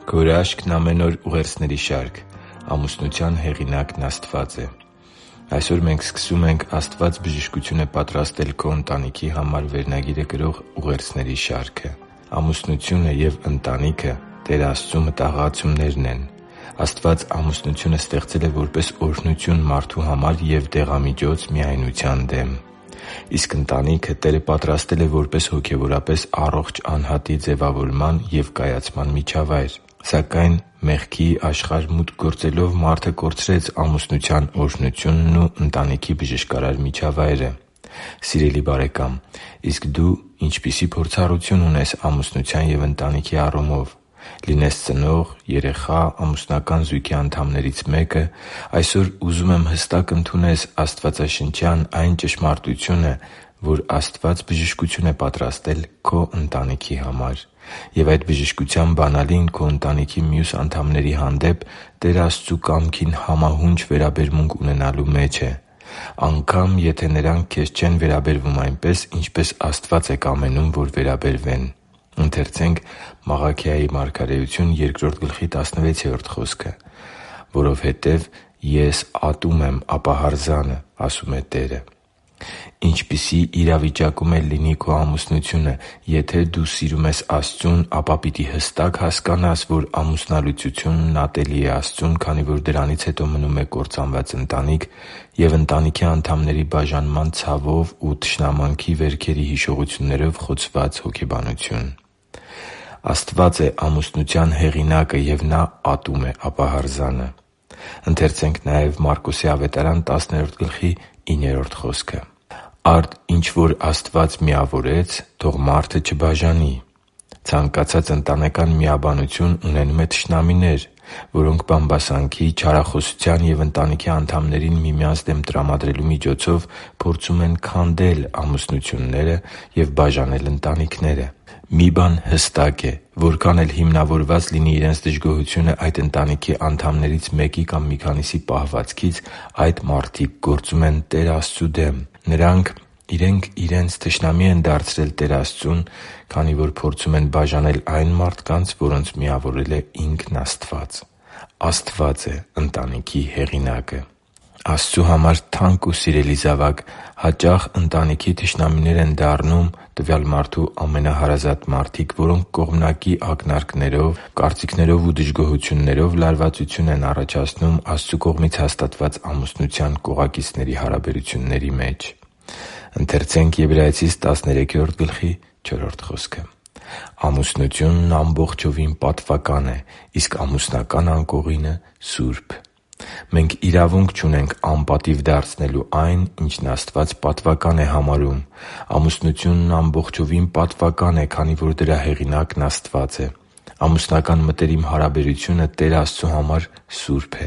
Քո հրաշքն ամեն օր ուղերձների շարք։ Ամուսնության հեղինակն Աստված է։ Այսօր մենք սկսում ենք «Աստված բժշկություն է պատրաստել քո ընտանիքի համար» վերնագիրը կրող ուղերձների շարքը։ Ամուսնությունը և ընտանիքը Տեր Աստծու մտահղացումներն են։ Աստված ամուսնությունը ստեղծել է որպես օրհնություն մարդու համար և դեղամիջոց միայնության դեմ։ Իսկ ընտանիքը Տերը պատրաստել է որպես հոգևորապես առողջ անհատի ձևավորման և կայացման միջավայր։ Սակայն մեղքի աշխարհ մուտք գործելով մարդը կորցրեց ամուսնության օրհնությունն ու ընտանիքի բժշկարար միջավայրը։ Սիրելի՛ բարեկամ, իսկ դու ինչպիսի՞ փորձառություն ունես ամուսնության և ընտանիքի առումով։ Լինես ծնող, երեխա, ամուսնական զույգի անդամներից մեկը, այսօր ուզում եմ հստակ ընդունես աստվածաշնչյան այն ճշմարտությունը, որ Աստված բժշկություն է պատրաստել քո ընտանիքի համար։ Եվ այդ բժշկության բանալին քո ընտանիքի մյուս անդամների հանդեպ Տեր Աստծու կամքին համահունչ վերաբերմունք ունենալու մեջ է։ Անգամ եթե նրանք քեզ չեն վերաբերվում այնպես, ինչպես Աստված է կամենում, որ վերաբերվեն։ «Որովհետև ես ատում եմ ապահարզանը, ասում է Տերը» (Մաղաքիա 2․16): Ինչպիսի իրավիճակում էլ լինի քո ամուսնությունը, եթե դու սիրում ես Աստծուն, ապա պիտի հստակ հասկանաս, որ ամուսնալուծությունն ատելի է Աստծուն, քանի որ դրանից հետո մնում է կործանված ընտանիք և ընտանիքի անդամների բաժանման ցավով ու թշնամանքի վերքերի հիշողություններով խոցված հոգեբանություն։ Աստված է ամուսնության հեղինակը, և Նա ատում է ապահարզանը։ «Արդ ինչ որ Աստված միավորեց, թող մարդը չբաժանի»։ Ցանկացած ընտանեկան միաբանություն ունենում է թշնամիներ, որոնք բամբասանքի, չարախոսության և ընտանիքի անդամներին միմյանց դեմ տրամադրելու միջոցով փորձում են քանդել ամուսնությունները և բաժանել ընտանիքները։ Մի բան հստակ է՝ որքան էլ հիմնավորված լինի իրենց դժգոհությունը այդ ընտանիքի անդամներից մեկի կամ մի քանիսի պահվածքից, այդ մարդիկ գործում են Տեր Աստծու դեմ։ Նրանք իրենք իրենց թշնամի են դարձրել Տեր Աստծուն, քանի որ փորձում են բաժանել այն մարդկանց, որոնց միավորել է ինքն Աստված։ Աստված է ընտանիքի հեղինակը։ Աստծու համար թանկ ու սիրելի՛ զավակ, հաճախ ընտանիքի թշնամիներ են դառնում տվյալ մարդու ամենահարազատ մարդիկ, որոնք կողմնակի ակնարկներով, կարծիքներով ու դժգոհություններով լարվածություն են առաջացնում Աստծու կողմից հաստատված ամուսնության կողակիցների հարաբերությունների մեջ։ «Ամուսնությունն ամբողջովին պատվական է, իսկ ամուսնական անկողինը՝ սուրբ»։ Մենք իրավունք չունենք անպատիվ դարձնելու այն, ինչն Աստված պատվական է համարում։ Ամուսնությունն ամբողջովին պատվական է, քանի որ դրա հեղինակն Աստված է։ Ամուսնական մտերիմ հարաբերությունը Տեր Աստծու համար սուրբ է։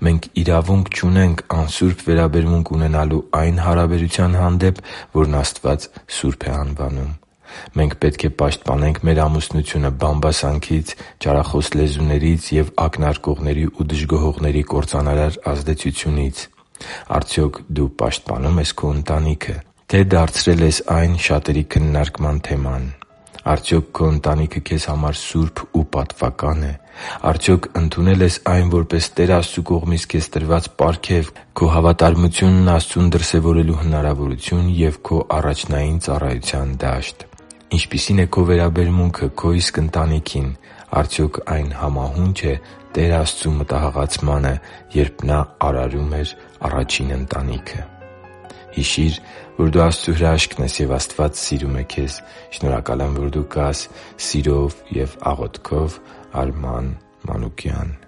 Մենք իրավունք չունենք անսուրբ վերաբերմունք ունենալու այն հարաբերության հանդեպ, որն Աստված սուրբ է անվանում։ Մենք պետք է պաշտպանենք մեր ամուսնությունը բամբասանքից, չարախոս լեզուներից և ակնարկողների ու դժգոհողների կործանարար ազդեցությունից։ Արդյոք դու պաշտպանո՞ւմ ես քո ընտանիքը, թե՞ դարձրել ես այն շատերի քննարկման թեման։ Արդյոք քո ընտանիքը քեզ համար սուրբ ու պատվակա՞ն է։ Արդյոք ընդունել ես այն որպես Տեր Աստծու կողմից քեզ տրված պարգև, քո հավատարմությունն Աստծուն դրսևորելու հնարավորություն և քո առաջնային ծառայության դաշտ։ Ինչպիսի՞ն է քո վերաբերմունքը քո իսկ ընտանիքին։ Արդյոք այն համահո՞ւնչ է Տեր Աստծու մտահղացմանը, երբ Նա արարում էր առաջին ընտանիքը։ Հիշի՛ր, որ դու Աստծո հրաշքն ես, և Աստված սիրում է քեզ։ Շնորհակալ եմ, որ դու կա՛ս։ Սիրով և աղոթքով, Արման Մանուկյան։